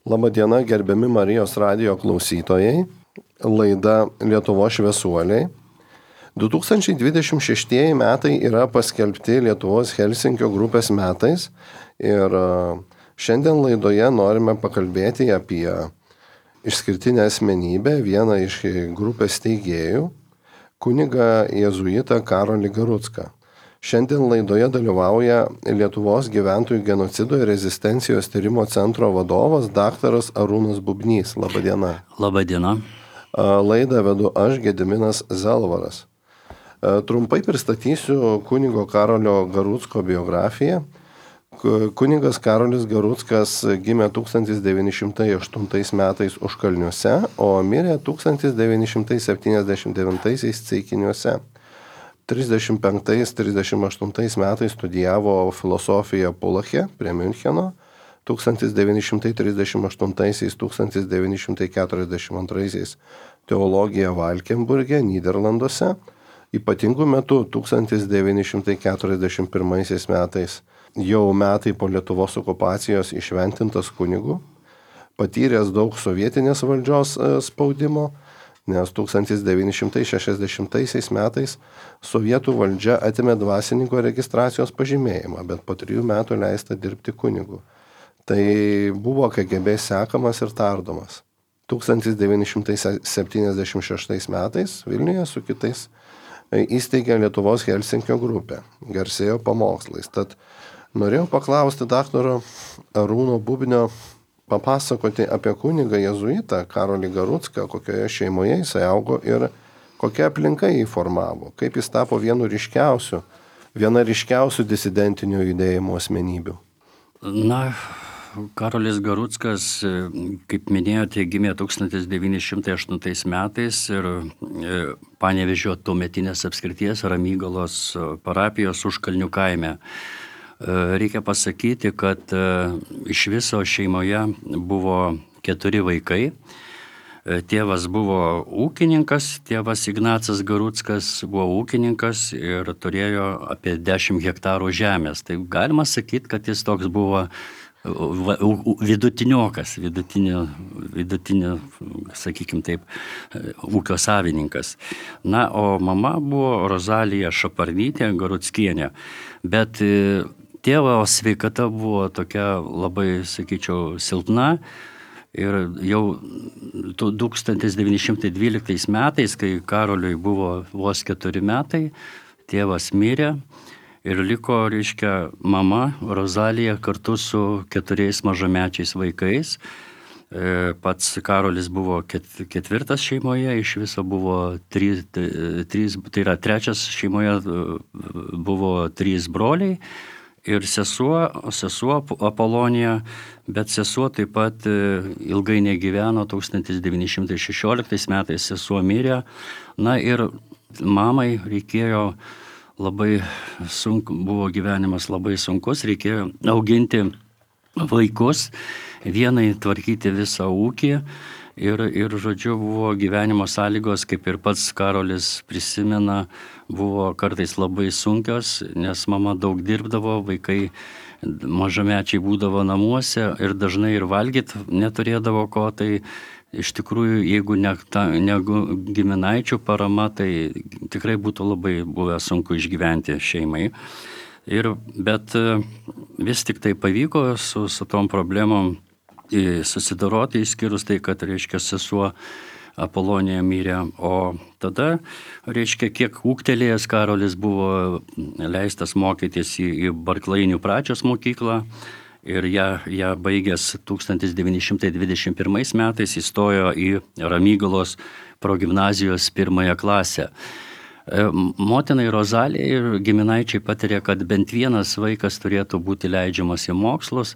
Labadiena, gerbiami Marijos radijo klausytojai, laida Lietuvos šviesuoliai. 2026 metai yra paskelbti Lietuvos Helsinkio grupės metais ir šiandien laidoje norime pakalbėti apie išskirtinę asmenybę, vieną iš grupės steigėjų, kunigą jėzuitą Karolį Garucką. Šiandien laidoje dalyvauja Lietuvos gyventojų genocido ir rezistencijos tyrimo centro vadovas daktaras Arūnas Bubnys. Labadiena. Labadiena. Laidą vedu aš, Gediminas Zelvaras. Trumpai pristatysiu kunigo Karolio Garucko biografiją. Kunigas Karolis Garuckas gimė 1908 metais Užkalniuose, o mirė 1979 Ceikiniuose. 35-38 metais studijavo filosofiją Pulache prie Miuncheno, 1938-1942 teologiją Valkenburge, Nyderlanduose, ypatingų metų 1941 metais jau metai po Lietuvos okupacijos įšventintas kunigu, patyręs daug sovietinės valdžios spaudimo, nes 1960 metais sovietų valdžia atėmė dvasininko registracijos pažymėjimą, bet po 3 metų leista dirbti kunigu. Tai buvo KGB sekamas ir tardomas. 1976 metais Vilniuje su kitais įsteigė Lietuvos Helsinkio grupę, garsėjo pamokslais. Tad norėjau paklausti daktaro Arūno Bubnio papasakoti apie kunigą jėzuitą Karolį Garucką, kokioje šeimoje jis augo ir kokia aplinka jį formavo, kaip jis tapo viena ryškiausių disidentinio judėjimo asmenybių. Na, Karolis Garuckas, kaip minėjote, gimė 1908 metais ir Panevėžio tuometinės apskrities Ramygalos parapijos Užkalnių kaime. Reikia pasakyti, kad iš viso šeimoje buvo 4 vaikai. Tėvas buvo ūkininkas, tėvas Ignacas Garuckas buvo ūkininkas ir turėjo apie 10 hektarų žemės. Tai galima sakyti, kad jis toks buvo vidutiniokas, vidutinio, sakykime taip, ūkio savininkas. Na, o mama buvo Rozalija Šaparnytė Garuckienė, bet tėvo sveikata buvo tokia labai, sakyčiau, silpna ir jau 1912 metais, kai Karoliui buvo vos 4 metai, tėvas mirė ir liko, mama Rozalija kartu su 4 mažamečiais vaikais. Pats Karolis buvo 4 šeimoje, iš viso buvo 3, tai yra 3 šeimoje buvo 3 broliai. Ir sesuo Apolonija, bet sesuo taip pat ilgai negyveno, 1916 metais sesuo mirė. Na ir mamai reikėjo buvo gyvenimas labai sunkus, reikėjo auginti vaikus, vienai tvarkyti visą ūkį ir žodžiu, buvo gyvenimo sąlygos, kaip ir pats Karolis prisimena, buvo kartais labai sunkios, nes mama daug dirbdavo, vaikai mažamečiai būdavo namuose ir dažnai ir valgyti neturėdavo ko, tai iš tikrųjų, jeigu ne giminaičių parama, tai tikrai būtų labai buvę sunku išgyventi šeimai. Bet vis tik tai pavyko su tom problemom susidoroti, išskyrus tai, kad, sesuo Apolonija mirė, o tada, kiek ūgtelėjęs Karolis buvo leistas mokytis į Barklainių pradžios mokyklą ir ją baigęs 1921 metais įstojo į Ramygalos progimnazijos 1 klasę. Motinai Rozalijai ir giminaičiai patiria, kad bent vienas vaikas turėtų būti leidžiamas į mokslus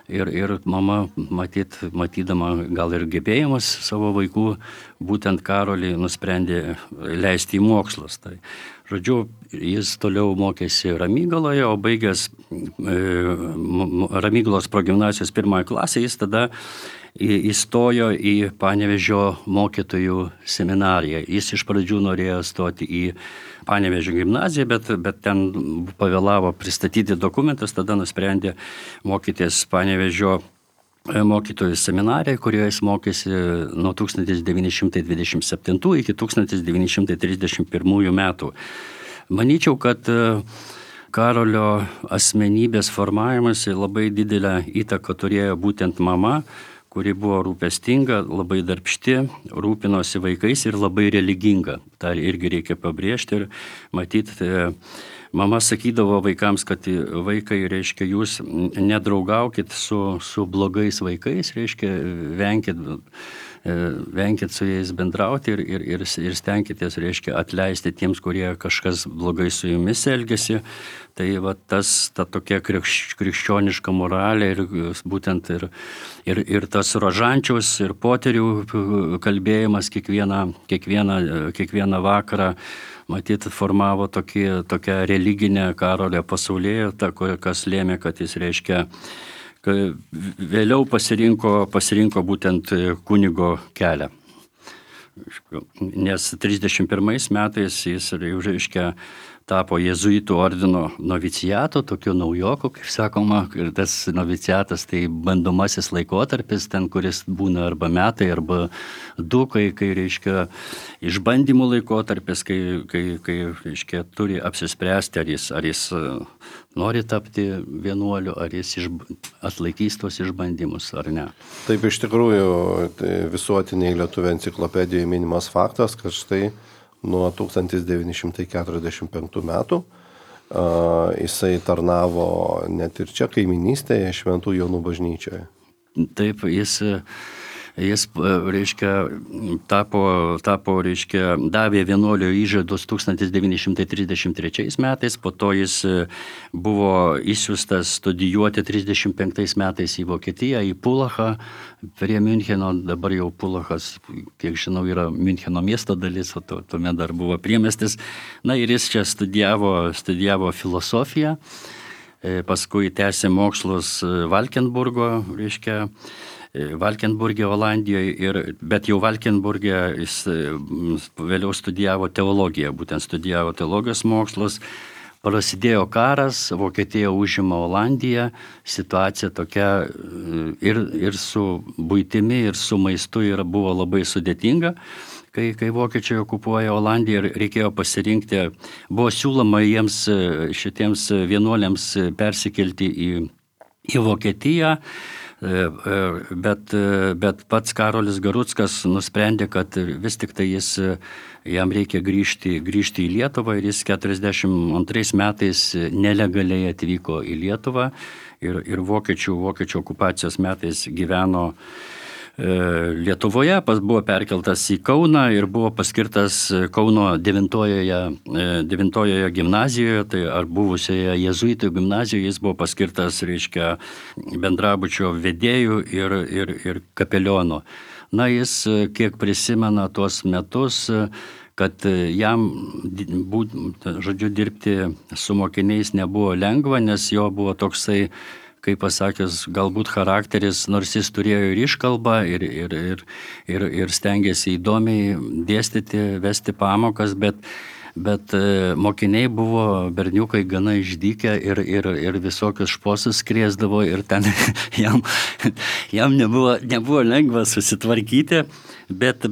ir mama, matydama gal ir gebėjimus savo vaikų, būtent Karolį nusprendė leisti į mokslus. Tai, žodžiu, jis toliau mokėsi Ramygaloje, o baigęs Ramygalos progimnazijos 1 klasę, jis tada įstojo į Panevėžio mokytojų seminariją. Jis iš pradžių norėjo stoti į Panevėžio gimnaziją, bet ten pavėlavo pristatyti dokumentus, tada nusprendė mokytis Panevėžio mokytojų seminarijai, kurioje jis mokėsi nuo 1927 iki 1931 metų. Manyčiau, kad Karolio asmenybės formavimas labai didelę įtaką turėjo būtent mama, kuri buvo rūpestinga, labai darbšti, rūpinosi vaikais ir labai religinga. Tai irgi reikia pabrėžti ir matyti. Mama sakydavo vaikams, kad vaikai, reiškia, jūs nedraugaukit su blogais vaikais, reiškia, venkit su jais bendrauti ir stenkitės, reiškia, atleisti tiems, kurie kažkas blogai su jumis elgesi. Tai va ta tokia krikščioniška moralė ir būtent ir tas rožančiaus ir poterių kalbėjimas kiekvieną vakarą, matyt, formavo tokią religinę Karolio pasaulėjautą, kas lėmė, kad jis, reiškia, vėliau pasirinko būtent kunigo kelią. Nes 31 metais jis, reiškia, tapo jėzuitų ordino noviciato, tokio naujoko, kaip sakoma, ir tas noviciatas tai bandomasis laikotarpis, ten, kuris būna arba metai, arba kai reiškia, išbandymų laikotarpis, kai reiškia, turi apsispręsti, ar jis nori tapti vienuoliu, ar jis atlaikys tos išbandymus, ar ne. Taip, iš tikrųjų, tai visuotiniai Lietuvių enciklopedijoje minimas faktas, kad štai nuo 1945 metų jisai tarnavo net ir čia kaiminystėje Šventų Jonų bažnyčioje. Taip, jis reiškia, tapo, reiškia, davė vienuolio įžadus 1933 metais, po to jis buvo išsiųstas studijuoti 35 metais į Vokietiją, į Pulachą, prie Müncheno, dabar jau Pulachas, kiek žinau, yra Müncheno miesto dalis, o tuomet dar buvo priemiestis. Na ir jis čia studijavo filosofiją, paskui tęsė mokslus Valkenburge, Olandijoje, bet jau Valkenburge jis vėliau studijavo teologiją, būtent studijavo teologijos mokslus. Prasidėjo karas, Vokietija užima Olandiją, situacija tokia ir su buitimi, ir su maistu buvo labai sudėtinga. Kai vokiečiai okupuoja Olandiją ir reikėjo pasirinkti, buvo siūloma jiems šitiems vienuoliams persikelti į Vokietiją, bet pats Karolis Garuckas nusprendė, kad vis tik tai jam reikia grįžti į Lietuvą ir jis 42 metais nelegaliai atvyko į Lietuvą ir vokiečių okupacijos metais gyveno Lietuvoje, buvo perkeltas į Kauną ir buvo paskirtas Kauno 9 gimnazijoje, tai ar buvusioje jėzuitų gimnazijoje jis buvo paskirtas, reiškia, bendrabučio vedėjų ir kapeliono. Na, jis kiek prisimena tuos metus, kad jam, dirbti su mokiniais nebuvo lengva, nes jo buvo toksai, kaip pasakęs, galbūt charakteris, nors jis turėjo ir iškalbą, ir stengėsi įdomiai dėstyti, vesti pamokas, bet mokiniai buvo berniukai gana išdykę ir visokius šposus krėsdavo ir ten jam nebuvo lengva susitvarkyti, bet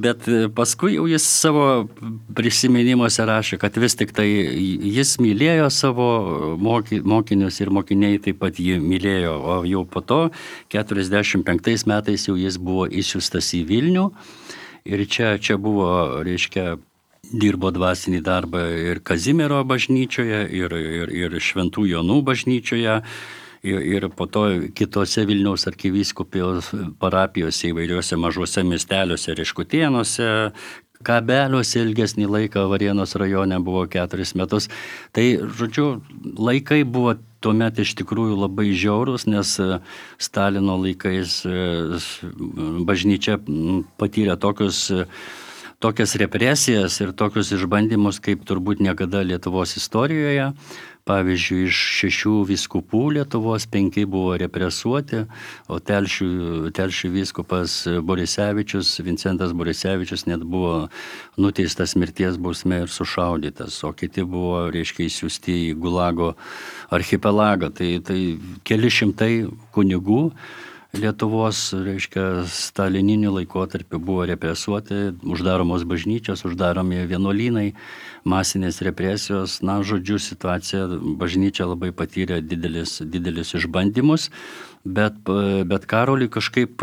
paskui jau jis savo prisiminimuose rašė, kad vis tik tai jis mylėjo savo mokinius ir mokiniai taip pat jį mylėjo, o jau po to 45 metais jau jis buvo išsiųstas į Vilnių ir čia buvo, reiškia, dirbo dvasinį darbą ir Kazimiero bažnyčioje, ir Šventų Jonų bažnyčioje, ir po to kitose Vilniaus arkivyskupijos parapijose įvairiuose mažuose miesteliuose, Reškutėnuose, Kabeliuose ilgesnį laiką, Varėnos rajone buvo 4 metus. Tai, žodžiu, laikai buvo tuomet iš tikrųjų labai žiaurus, nes Stalino laikais bažnyčia patyrė tokias represijas ir tokius išbandymus, kaip turbūt niekada Lietuvos istorijoje. Pavyzdžiui, iš 6 vyskupų Lietuvos 5 buvo represuoti, o Telšių vyskupas Borisevičius, Vincentas Borisevičius, net buvo nuteistas mirties bausme ir sušaudytas, o kiti buvo, reiškia, išsiųsti į Gulago archipelagą. Tai keli šimtai kunigų Lietuvos, reiškia, stalininiu laikotarpiu buvo represuoti, uždaromos bažnyčios, uždaromi vienuolynai, masinės represijos. Na, žodžiu, situacija, bažnyčia labai patyrė didelis išbandymus, bet Karoliui kažkaip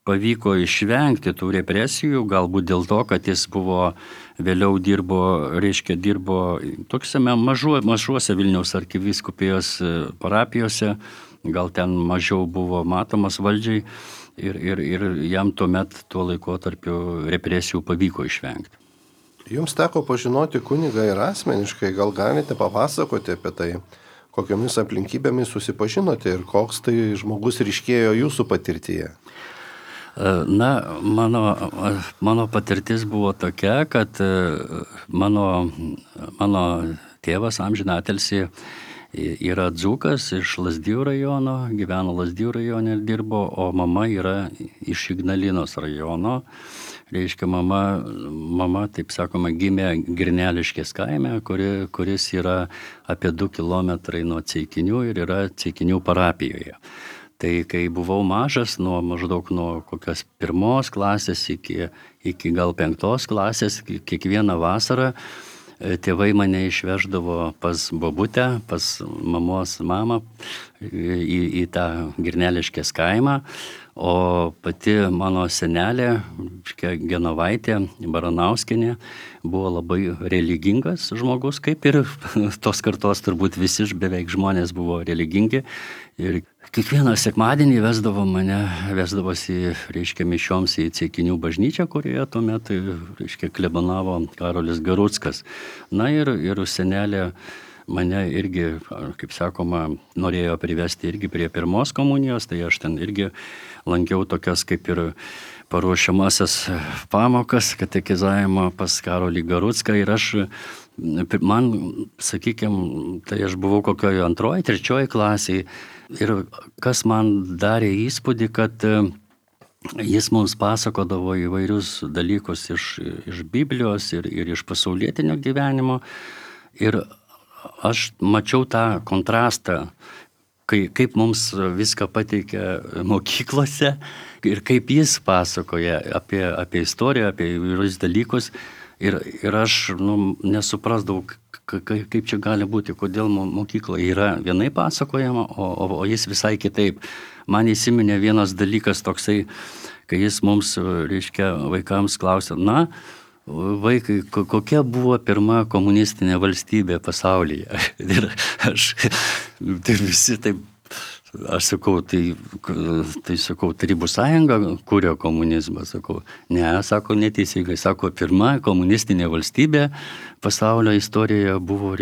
pavyko išvengti tų represijų, galbūt dėl to, kad jis vėliau dirbo tokiuose mažuose Vilniaus arkivyskupijos parapijose, gal ten mažiau buvo matomas valdžiai ir jam tuo laikotarpiu represijų pavyko išvengti. Jums teko pažinoti kunigą ir asmeniškai, gal galite papasakoti apie tai, kokiomis aplinkybėmis susipažinote ir koks tai žmogus ryškėjo jūsų patirtyje? Na, mano patirtis buvo tokia, kad mano tėvas amžinatilsį yra dzūkas iš Lazdijų rajono, gyveno Lazdijų rajone ir dirbo, o mama yra iš Ignalinos rajono. Reiškia, mama, taip sakoma, gimė Girneliškės kaime, kuris yra apie 2 kilometrai nuo Ceikinių ir yra Ceikinių parapijoje. Tai kai buvau mažas, maždaug nuo kokios 1 klasės iki gal 5 klasės, kiekvieną vasarą tėvai mane išveždavo pas bobutę, pas mamos mamą į tą Girneliškės kaimą, o pati mano senelė, Genovaitė Baranauskienė, buvo labai religingas žmogus, kaip ir tos kartos turbūt visi beveik žmonės buvo religingi. Ir kiekvieną sekmadienį vesdavosi, mišioms į Ceikinių bažnyčią, kurioje tuo metu, klebonavo Karolis Garuckas. Na ir senelė mane irgi, kaip sakoma, norėjo privesti irgi prie 1 komunijos, tai aš ten irgi lankiau tokias kaip ir paruošiamasias pamokas, katekizavimo pas Karolį Garucką ir man, sakykime, tai aš buvau kokioje 2., 3 klasėje ir kas man darė įspūdį, kad jis mums pasakodavo įvairius dalykus iš Biblijos ir iš pasaulietinio gyvenimo ir aš mačiau tą kontrastą, kaip mums viską pateikia mokyklose ir kaip jis pasakoja apie istoriją, apie įvairius dalykus. Ir aš nesuprasdavau, kaip čia gali būti, kodėl mokykloje yra vienai pasakojama, o jis visai kitaip. Man įsiminė vienas dalykas toksai, kai jis mums, vaikams klausė, vaikai, kokia buvo pirma komunistinė valstybė pasaulyje? Ir visi taip, aš sakau, tai sakau, Tarybų sąjunga kurio komunizmą, sakau, sako neteisingai, sako, pirma komunistinė valstybė pasaulio istorijoje buvo,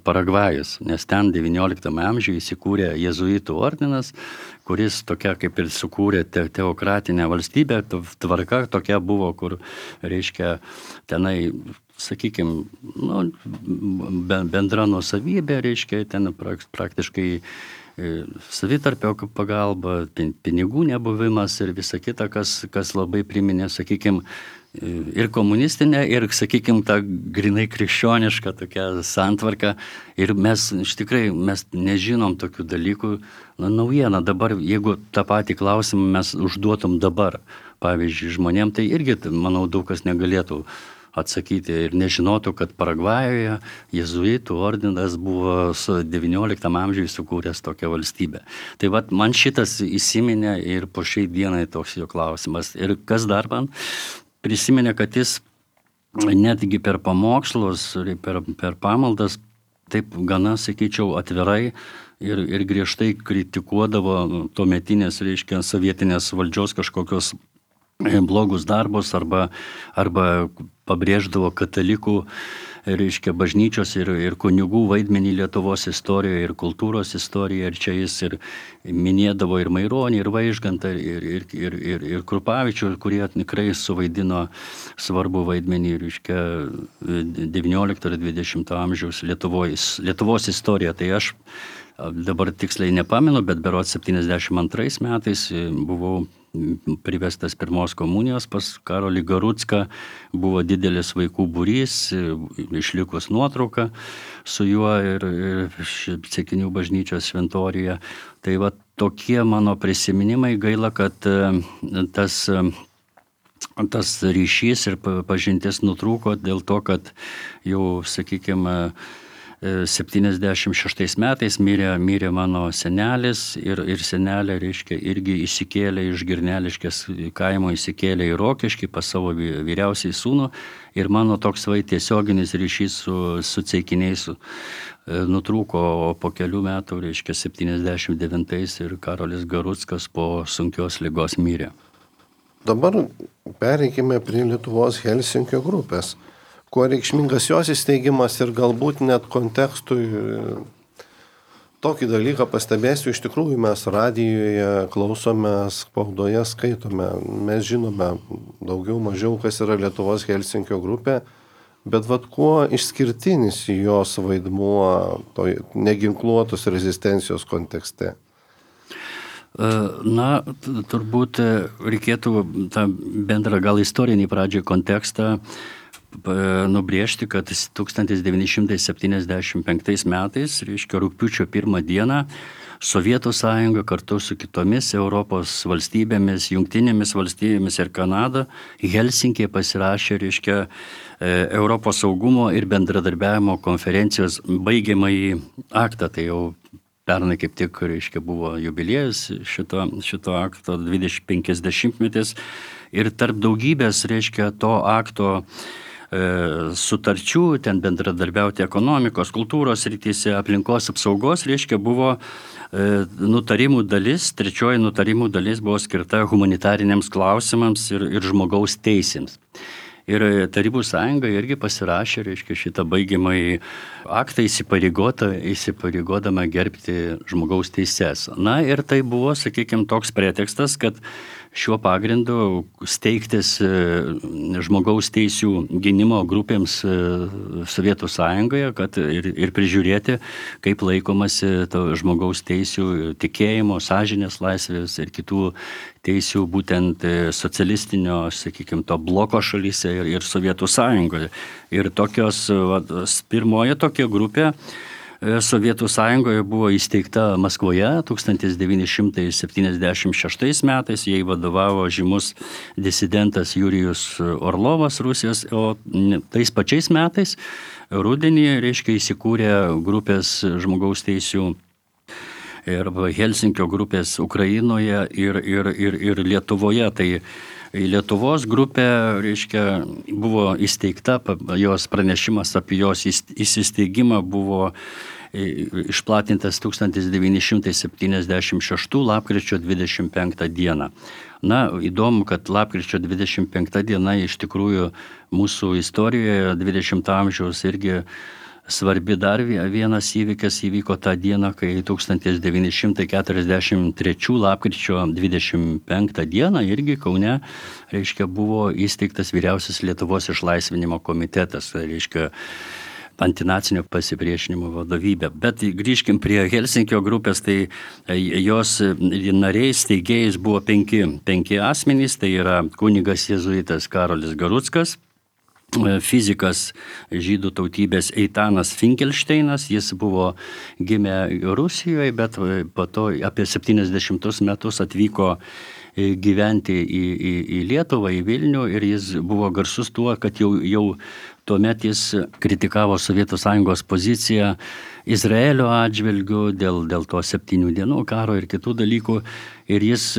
Paragvajus, nes ten 19 amžiuje įsikūrė jėzuitų ordinas, kuris tokia kaip ir sukūrė teokratinę valstybę, tvarka tokia buvo, kur, tenai, sakykime, bendra nuosavybė, ten praktiškai savitarpio pagalba, pinigų nebuvimas ir visa kita, kas labai priminė, sakykime, ir komunistinę, ir, sakykime, tą grinai krikščionišką tokią santvarką. Ir mes nežinom tokių dalykų. Naujiena dabar, jeigu tą patį klausimą mes užduotum dabar, pavyzdžiui, žmonėm, tai irgi, manau, daug kas negalėtų atsakyti ir nežinotų, kad Paragvajoje jėzuitų ordinas buvo 19 amžiuje sukūręs tokią valstybę. Tai man šitas įsiminė ir po šiai dienai toks jo klausimas. Ir kas dar man prisiminė, kad jis netgi per pamokslus, per pamaldas, taip gana, sakyčiau, atvirai ir griežtai kritikuodavo tuometinės, sovietinės valdžios kažkokios blogus darbus arba pabrėždavo katalikų, bažnyčios ir kunigų vaidmenį Lietuvos istorijoje ir kultūros istorijoje. Ir čia jis ir minėdavo ir Maironį, ir Vaižgantą, ir Krupavičių, kurie tikrai suvaidino svarbu vaidmenį 19 ir 20 amžiaus Lietuvos istoriją. Tai aš dabar tiksliai nepamenu, bet berods 72 metais buvau privestas 1 komunijos pas Karolį Garucką, buvo didelis vaikų būrys, išlikus nuotrauka su juo ir Ceikinių bažnyčios šventoriuje. Tai tokie mano prisiminimai. Gaila, kad tas ryšys ir pažintis nutrūko dėl to, kad jau, sakykime, 76 metais mirė mano senelis ir senelė, reiškia, irgi įsikėlė iš Girneliškės kaimo, įsikėlė į Rokiškį pas savo vyriausiai sūnų ir mano toks tiesioginis ryšys su ceikiniais nutrūko po kelių metų, reiškia, 79 ir Karolis Garuckas po sunkios ligos mirė. Dabar pereikime prie Lietuvos Helsinkio grupės. Kuo reikšmingas jos įsteigimas ir galbūt net kontekstui tokį dalyką pastebėsiu, iš tikrųjų mes radijoje klausome, spaudoje skaitome, mes žinome daugiau mažiau, kas yra Lietuvos Helsinkio grupė, bet kuo išskirtinis jos vaidmuo neginkluotos rezistencijos kontekste? Na, turbūt reikėtų tą bendrą gal istorinį pradžią kontekstą nubrėžti, kad 1975 metais, reiškia rugpjūčio 1 dieną, Sovietų sąjunga kartu su kitomis Europos valstybėmis, Jungtinėmis valstybėmis ir Kanada Helsinkėje pasirašė, reiškia, Europos saugumo ir bendradarbiavimo konferencijos baigiamąjį aktą. Tai jau pernai kaip tik, reiškia, buvo jubiliejus šito akto 50-metis ir tarp daugybės, reiškia, to akto sutarčių, ten bendradarbiauti ekonomikos, kultūros srityse, aplinkos apsaugos, reiškia, buvo nutarimų dalis, trečioji nutarimų dalis buvo skirta humanitariniams klausimams ir žmogaus teisėms. Ir Tarybų sąjunga irgi pasirašė, reiškia, šitą baigiamąjį aktą įsipareigodama gerbti žmogaus teises. Na ir tai buvo, sakykime, toks pretekstas, kad šiuo pagrindu steigtis žmogaus teisių gynimo grupėms Sovietų sąjungoje, kad ir prižiūrėti, kaip laikomasi to žmogaus teisių, tikėjimo, sąžinės laisvės ir kitų teisių būtent socialistinio, sakykime, to bloko šalyse ir Sovietų sąjungoje. Ir pirmoji tokia grupė Sovietų sąjungoje buvo įsteigta Maskvoje 1976 metais, jai vadovavo žymus disidentas Jurijus Orlovas Rusijos, o tais pačiais metais rudenį, reiškia, įsikūrė grupės žmogaus teisių ir Helsinkio grupės Ukrainoje ir Lietuvoje. Tai Lietuvos grupė, reiškia, buvo įsteigta, jos pranešimas apie jos įsisteigimą buvo išplatintas 1976 lapkričio 25 dieną. Na, įdomu, kad lapkričio 25 diena iš tikrųjų mūsų istorijoje 20 amžiaus irgi svarbi dar vienas įvykis įvyko tą dieną, kai 1943 lapkričio 25 dieną irgi Kaune, reiškia, buvo įsteigtas Vyriausias Lietuvos išlaisvinimo komitetas, reiškia, antinacinio pasipriešinimo vadovybė. Bet grįžkim prie Helsinkio grupės, tai jos nariais, steigėjais buvo penki asmenys, tai yra kunigas jėzuitas Karolis Garuckas, fizikas žydų tautybės Eitanas Finkelšteinas, jis buvo gimę Rusijoje, bet po to apie 70 metus atvyko gyventi į Lietuvą, į Vilnių ir jis buvo garsus tuo, kad jau tuomet jis kritikavo Sovietų sąjungos poziciją Izraelio atžvilgiu dėl to 7 dienų karo ir kitų dalykų. Ir jis,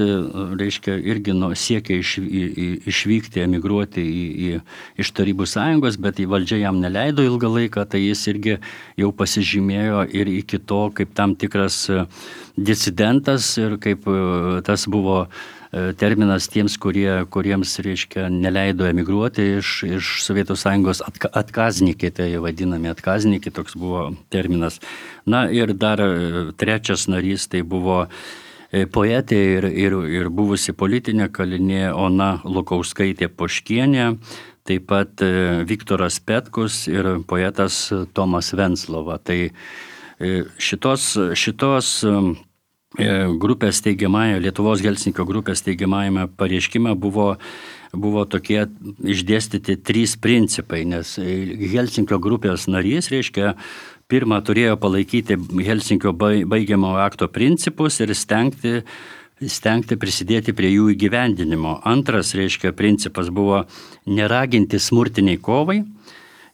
reiškia, irgi siekė išvykti, emigruoti iš Tarybų sąjungos, bet į valdžią jam neleido ilgą laiką, tai jis irgi jau pasižymėjo ir iki to kaip tam tikras disidentas ir kaip tas buvo terminas tiems, kuriems, reiškia, neleido emigruoti iš Sovietų sąjungos atkaznikai, tai vadinami atkaznikai, toks buvo terminas. Na ir dar trečias narys, tai buvo poetė ir buvusi politinė kalinė Ona Lukauskaitė Poškienė, taip pat Viktoras Petkus ir poetas Tomas Venclova. Tai šitos grupės teigiamąją, Lietuvos Helsinkio grupės teigiamąjame pareiškime buvo tokie išdėstyti 3 principai, nes Helsinkio grupės narys, reiškia, pirma turėjo palaikyti Helsinkio baigiamojo akto principus ir stengti prisidėti prie jų įgyvendinimo. Antras, principas buvo neraginti smurtiniai kovai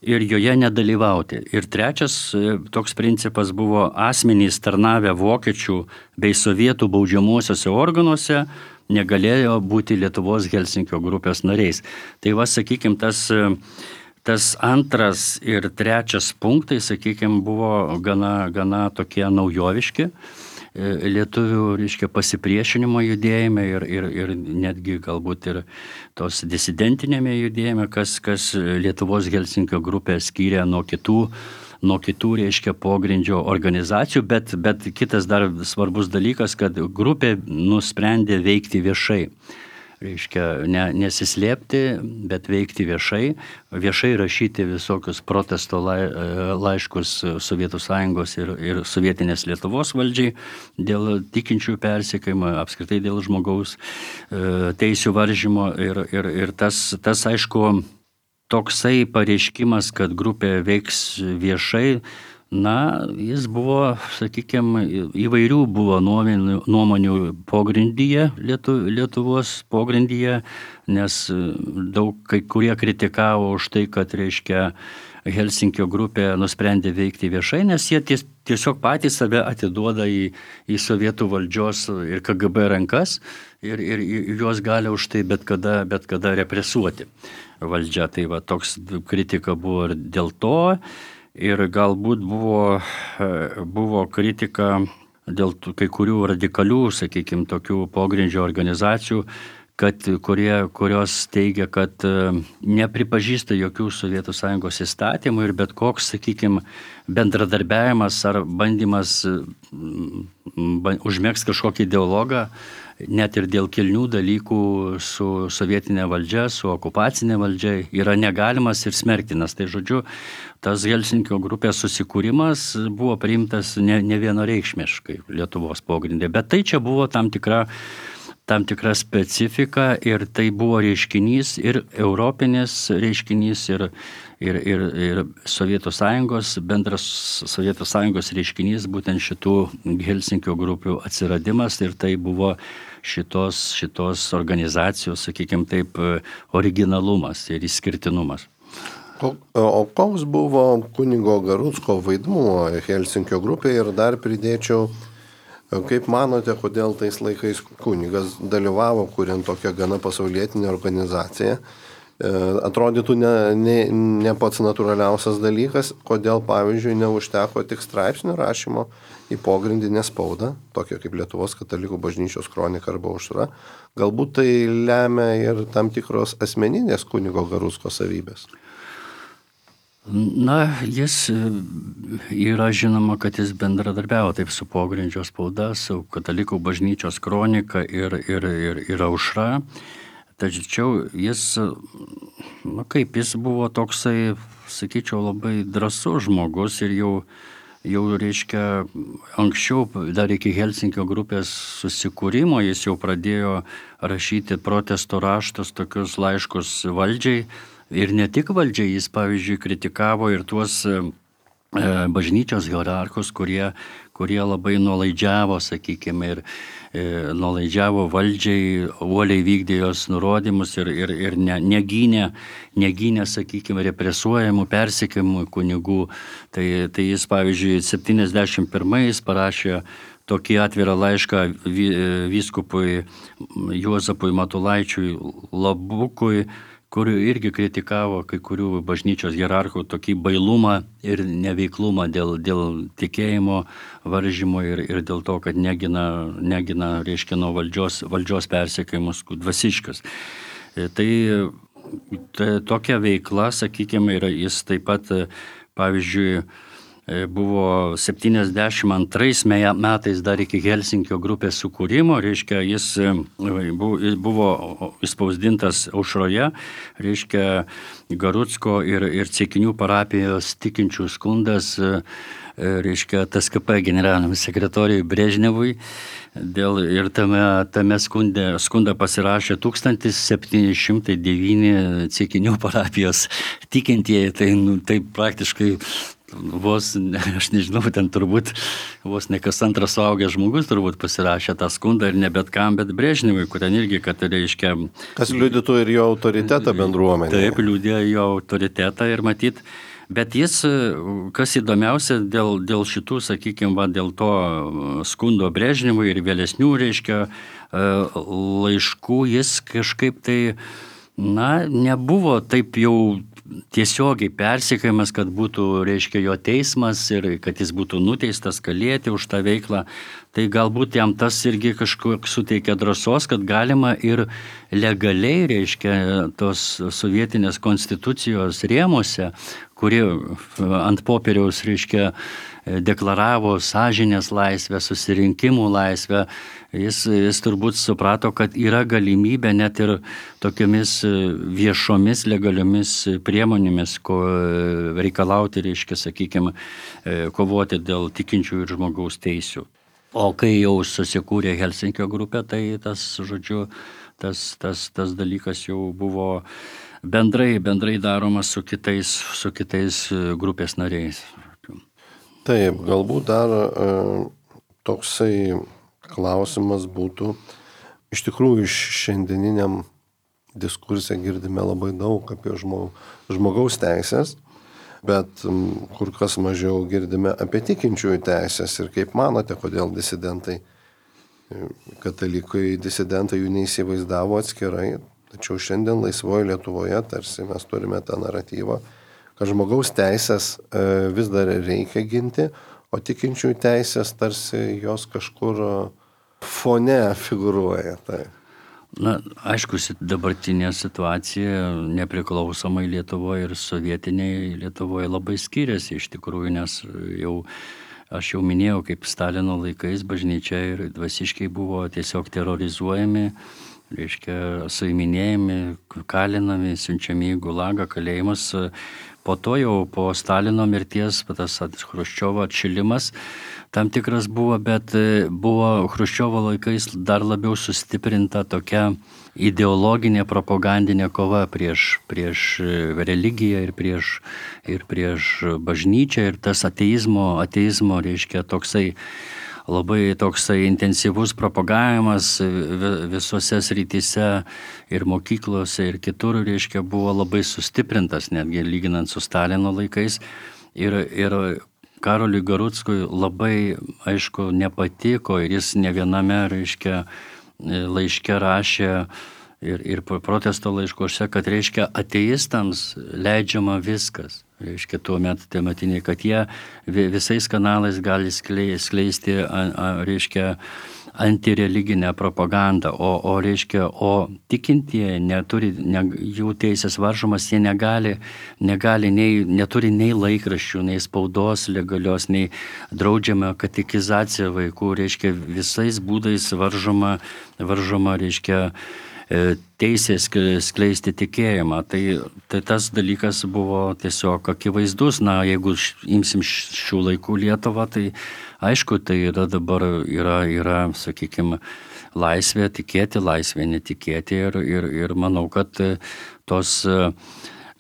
ir joje nedalyvauti. Ir trečias toks principas buvo asmenys tarnavę vokiečių bei sovietų baudžiamuosiuose organuose negalėjo būti Lietuvos Helsinkio grupės nariais. Tai sakykime, tas antras ir trečias punktai, sakykime, buvo gana tokie naujoviški lietuvių, pasipriešinimo judėjime ir netgi galbūt ir tos disidentinėme judėjime, kas Lietuvos Helsinkio grupę skyrė nuo kitų pogrindžio organizacijų, bet kitas dar svarbus dalykas, kad grupė nusprendė veikti viešai. Nesislėpti, bet veikti viešai rašyti visokius protesto laiškus Sovietų Sąjungos ir sovietinės Lietuvos valdžiai dėl tikinčių persekiojimo, apskritai dėl žmogaus teisių varžymo ir tas aišku, toksai pareiškimas, kad grupė veiks viešai, jis buvo, sakykime, įvairių buvo nuomonių pogrindyje, Lietuvos pogrindyje, nes daug kai kurie kritikavo už tai, kad, Helsinkio grupė nusprendė veikti viešai, nes jie tiesiog patys save atiduoda į sovietų valdžios ir KGB rankas ir juos gali už tai bet kada represuoti valdžia. Tai toks kritika buvo ir dėl to. Ir galbūt buvo kritika dėl kai kurių radikalių, sakykime, tokių pogrindžio organizacijų, kurios teigia, kad nepripažįsta jokių Sovietų Sąjungos įstatymų ir bet koks, sakykime, bendradarbiavimas ar bandymas užmegzti kažkokį dialogą, net ir dėl kilnių dalykų su sovietinė valdžia, su okupacinė valdžia yra negalimas ir smerktinas. Tai žodžiu, tas Helsinkio grupės susikūrimas buvo priimtas ne vienareikšmiškai Lietuvos pogrindė, bet tai čia buvo tam tikra specifika ir tai buvo reiškinys ir europinis reiškinys ir Sovietų Sąjungos, bendras Sovietų Sąjungos reiškinys, būtent šitų Helsinkio grupių atsiradimas ir tai buvo šitos organizacijos, sakykime taip, originalumas ir išskirtinumas. O koks buvo kunigo Garucko vaidmuo Helsinkio grupėje ir dar pridėčiau, kaip manote, kodėl tais laikais kunigas dalyvavo, kuriant tokią gana pasaulietinę organizaciją? Atrodytų ne pats natūraliausias dalykas, kodėl, pavyzdžiui, neužteko tik straipsnių rašymo į pogrindinę spaudą, tokią kaip Lietuvos katalikų bažnyčios kronika arba aušra. Galbūt tai lemia ir tam tikros asmeninės kunigo Garucko savybės. Jis yra žinoma, kad jis bendradarbiavo taip su pogrindžio spauda, su katalikų bažnyčios kronika ir aušra. Tačiau jis buvo toksai, sakyčiau, labai drąsus žmogus ir jau anksčiau, dar iki Helsinkio grupės susikūrimo, jis jau pradėjo rašyti protesto raštus, tokius laiškus valdžiai ir ne tik valdžiai, jis, pavyzdžiui, kritikavo ir tuos bažnyčios hierarchus, kurie labai nuolaidžiavo, sakykime, ir nuolaidžiavo valdžiai, uoliai vykdė jos nurodymus ir negynė, sakykime, represuojamų, persekiojamų kunigų. Tai jis, pavyzdžiui, 71 parašė tokį atvirą laišką vyskupui Juozapui Matulaičiui Labukui, kur irgi kritikavo kai kurių bažnyčios hierarchų tokį bailumą ir neveiklumą dėl tikėjimo varžymo ir dėl to, kad negina nuo valdžios persekiojimus dvasiškas. Tai tokia veikla, sakykime, jis taip pat, pavyzdžiui, buvo 72 metais dar iki Helsinkio grupės sukūrimo, jis buvo įspausdintas aušroje, Garucko ir Ceikinių parapijos tikinčių skundas, TSKP generaliniam sekretoriui Brežnevui, ir tame skundą pasirašė 1709 Ceikinių parapijos tikintieji, tai praktiškai aš nežinau, ten turbūt vos ne kas antras suaugęs žmogus turbūt pasirašė tą skundą ir ne bet kam, bet Brežnevui, kur ten irgi, kad reiškia... Kas liudytų ir jo autoritetą bendruomenėje. Taip, liudė jo autoritetą ir matyt, bet jis, kas įdomiausia, dėl šitų, sakykime, dėl to skundo Brežnevui ir vėlesnių, reiškia, laiškų, jis kažkaip tai, nebuvo taip jau tiesiogiai persekiojamas, kad būtų, reiškia, jo teismas ir kad jis būtų nuteistas kalėti už tą veiklą. Tai galbūt jam tas irgi kažkiek suteikia drąsos, kad galima ir legaliai, reiškia, tos sovietinės konstitucijos rėmuose, kuri ant popieriaus, reiškia, deklaravo sąžinės laisvę, susirinkimų laisvę, jis turbūt suprato, kad yra galimybė net ir tokiamis viešomis legaliomis priemonėmis reikalauti, reiškia, sakykime, kovoti dėl tikinčių ir žmogaus teisių. O kai jau susikūrė Helsinkio grupė, tai tas, žodžiu, tas dalykas jau buvo bendrai daromas su kitais grupės nariais. Taip, galbūt dar toksai klausimas būtų, iš tikrųjų šiandieniniam diskursė girdime labai daug apie žmogaus teisės, bet kur kas mažiau girdime apie tikinčiųjų teisės ir kaip manote, kodėl disidentai, katalikai disidentai jų neįsivaizdavo atskirai, tačiau šiandien laisvoje Lietuvoje tarsi mes turime tą naratyvą, kad žmogaus teisės vis dar reikia ginti, o tikinčiųjų teisės tarsi jos kažkur fone figūruoja. Tai. Aišku, dabartinė situacija nepriklausomai Lietuvoje ir sovietiniai Lietuvoje labai skiriasi iš tikrųjų, nes aš jau minėjau, kaip Stalino laikais bažnyčia ir dvasiškiai buvo tiesiog terrorizuojami, reiškia, suiminėjami, kalinami, siunčiami į Gulagą, kalėjimus. Po to jau po Stalino mirties tas Chruščiovo atšilimas tam tikras buvo, bet buvo Chruščiovo laikais dar labiau sustiprinta tokia ideologinė propagandinė kova prieš religiją ir prieš bažnyčią ir tas ateizmo, reiškia, labai toksai intensyvus propagavimas visose srityse ir mokyklose ir kitur, reiškia, buvo labai sustiprintas, netgi lyginant su Stalino laikais. Ir Karoliui Garuckui labai, aišku, nepatiko ir jis ne viename, reiškia, laiške rašė ir protesto laiškuose, kad, reiškia, ateistams leidžiama viskas. Reiškia, tuometiniai, kad jie visais kanalais gali skleisti, reiškia, antireliginę propagandą, o tikintieji jų teisės varžomas, jie neturi nei laikraščių, nei spaudos legalios, nei draudžiama katekizacija vaikų, reiškia, visais būdais varžoma, reiškia, teisės skleisti tikėjimą. Tai tas dalykas buvo tiesiog akivaizdus. Jeigu imsim šių laikų Lietuvą, tai aišku, tai dabar yra, sakykime, laisvė tikėti, laisvė netikėti ir manau, kad tos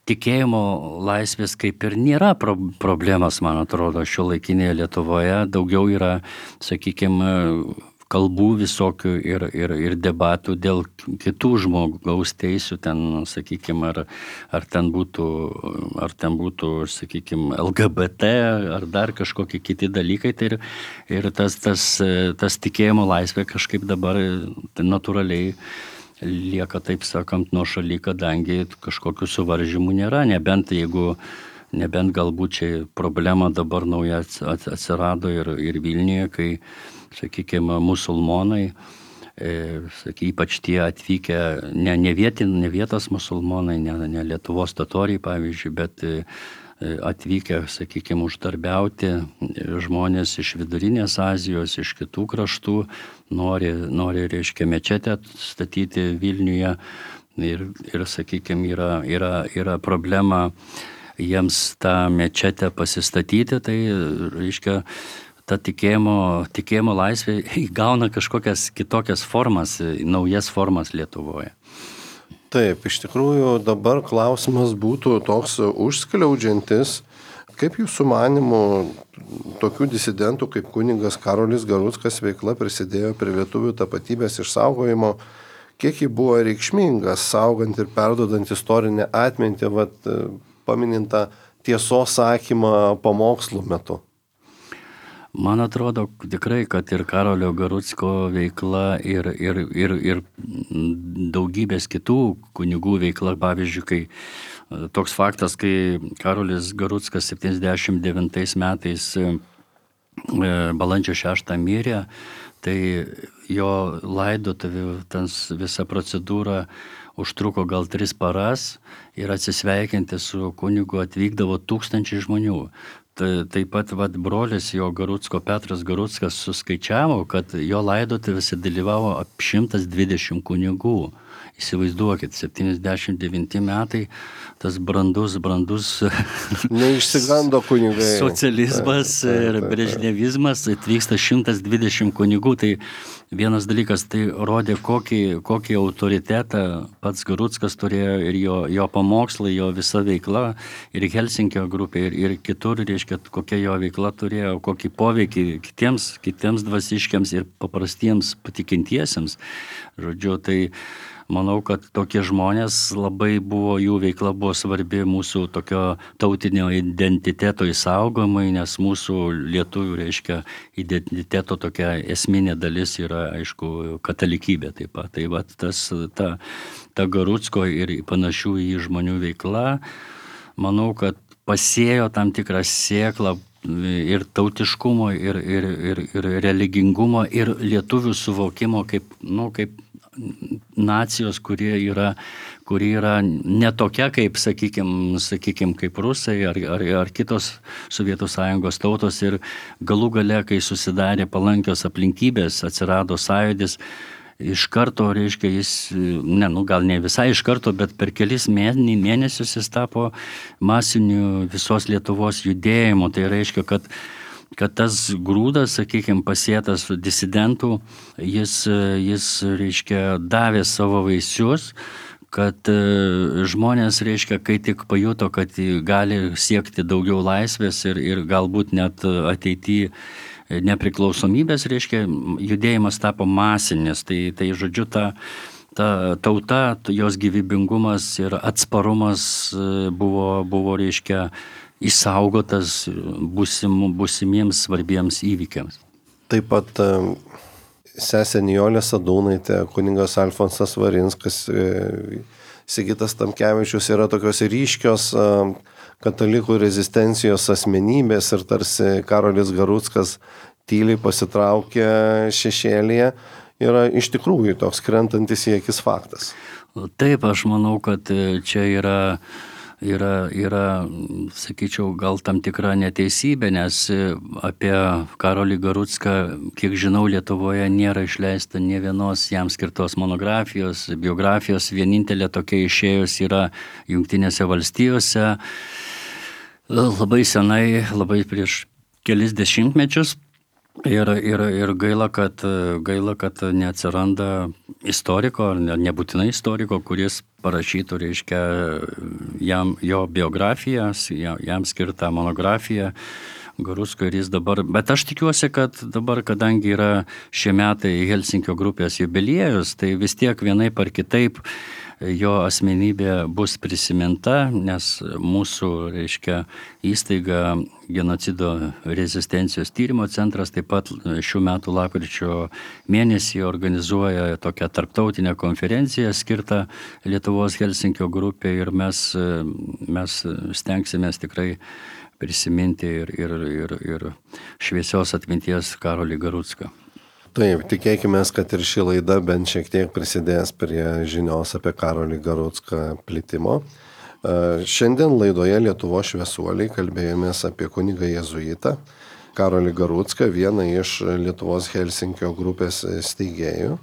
tikėjimo laisvės kaip ir nėra problemas, man atrodo, šiuolaikinėje Lietuvoje. Daugiau yra, sakykime, kalbų visokių ir debatų dėl kitų žmogaus teisių, ten, sakykime, ar ten būtų, sakykime, LGBT, ar dar kažkokie kiti dalykai. Tai ir tas tikėjimo laisvė kažkaip dabar natūraliai lieka, taip sakant, nuošaly, kadangi kažkokių suvaržymų nėra, nebent galbūt čia problema dabar nauja atsirado ir Vilniuje, kai, sakykime, musulmonai, ypač tie atvykę, ne vietos musulmonai, ne Lietuvos totoriai, pavyzdžiui, bet atvykę, sakykime, uždarbiauti žmonės iš Vidurinės Azijos, iš kitų kraštų, nori, reiškia, mečetę statyti Vilniuje ir sakykime, yra problema jiems tą mečetę pasistatyti, tai, reiškia, ta tikėjimo laisvė įgauna kažkokias kitokias formas, naujas formas Lietuvoje. Taip, iš tikrųjų dabar klausimas būtų toks užskliaudžiantis, Kaip jūsų manymu tokių disidentų kaip kunigas Karolis Garuckas veikla prisidėjo prie lietuvių tapatybės išsaugojimo, kiek ji buvo reikšminga, saugant ir perdodant istorinę atmintį, paminintą tiesos sakymą pamokslų metu? Man atrodo tikrai, kad ir Karolio Garucko veikla ir daugybės kitų kunigų veikla, pavyzdžiui, kai toks faktas, kai Karolis Garuckas 79 metais balandžio 6 mirė, tai jo laidotuvių visa procedūra užtruko gal 3 paras ir atsisveikinti su kunigu atvykdavo 1000 žmonių. Taip pat brolis jo Garucko, Petras Garuckas, suskaičiavo, kad jo laidotuvėse dalyvavo apie 120 kunigų. Įsivaizduokit, 79 metai, tas brandus neišsigando kunigai. Socializmas ir brežnevizmas, atvyksta 120 kunigų. Tai vienas dalykas, tai rodė, kokį autoritetą pats Garuckas turėjo ir jo pamokslai, jo visa veikla, ir Helsinkio grupė, ir kitur, reiškia, kokia jo veikla turėjo, kokį poveikį kitiems dvasiškiams ir paprastiems patikintiesiems. Žodžiu, tai manau, kad tokie žmonės jų veikla buvo svarbi mūsų tokio tautinio identiteto išsaugojimui, nes mūsų lietuvių, reiškia, identiteto tokia esminė dalis yra, aišku, katalikybė taip pat. Tai ta Garucko ir panašių į žmonių veikla, manau, kad pasėjo tam tikrą sėklą ir tautiškumo, ir religingumo, ir lietuvių suvokimo kaip nacijos, kuri yra ne tokia kaip, sakykim, kaip rusai ar kitos Sovietų Sąjungos tautos, ir galų gale, kai susidarė palankios aplinkybės, atsirado sąjūdis, iš karto, reiškia, gal ne visai iš karto, bet per kelis mėnesius jis tapo masiniu visos Lietuvos judėjimu. Tai reiškia, kad tas grūdas, sakykime, pasėtas disidentų, jis reiškia, davė savo vaisius, kad žmonės, reiškia, kai tik pajuto, kad gali siekti daugiau laisvės ir galbūt net ateityje nepriklausomybės, reiškia, judėjimas tapo masinis. Tai žodžiu, ta tauta, jos gyvybingumas ir atsparumas buvo reiškia, išsaugotas būsimiems svarbiems įvykiams. Taip pat sesė Nijolė Sadūnaitė, kunigas Alfonsas Varinskas, Sigitas Tamkevičius yra tokios ryškios katalikų rezistencijos asmenybės, ir tarsi Karolis Garuckas tyliai pasitraukė šešėlyje, yra iš tikrųjų toks krentantis į akis faktas. Taip, aš manau, kad čia yra, sakyčiau, gal tam tikra neteisybė, nes apie Karolį Garucką, kiek žinau, Lietuvoje nėra išleista nė vienos jam skirtos monografijos, biografijos. Vienintelė tokia išėjus yra Jungtinėse valstijose, labai senai, labai prieš kelis dešimtmečius. Ir gaila, kad neatsiranda istoriko, ar nebūtinai istoriko, kuris parašytų, reiškia, jo biografiją, jam skirtą monografiją Garucko, ir jis dabar. Bet aš tikiuosi, kad dabar, kadangi yra šie metai Helsinkio grupės jubiliejus, tai vis tiek vienaip ar kitaip jo asmenybė bus prisiminta, nes mūsų, reiškia, įstaiga Genocido rezistencijos tyrimo centras taip pat šių metų lapkričio mėnesį organizuoja tokią tarptautinę konferenciją skirtą Lietuvos Helsinkio grupė, ir mes stengsimės tikrai prisiminti ir šviesios atminties Karolį Garucką. Taip, tikėkime, kad ir ši laida bent šiek tiek prisidės prie žinios apie Karolį Garucką plitimo. Šiandien laidoje Lietuvos šviesuoliai kalbėjomės apie kunigą jėzuitą Karolį Garucką, vieną iš Lietuvos Helsinkio grupės steigėjų.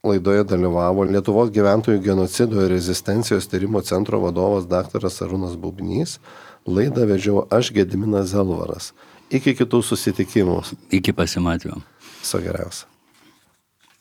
Laidoje dalyvavo Lietuvos gyventojų genocido ir rezistencijos tyrimo centro vadovas dr. Arūnas Bubnys. Laidą vedžiau aš, Gediminas Zelvaras. Iki kitų susitikimų. Iki pasimatymo. Viso geriausio.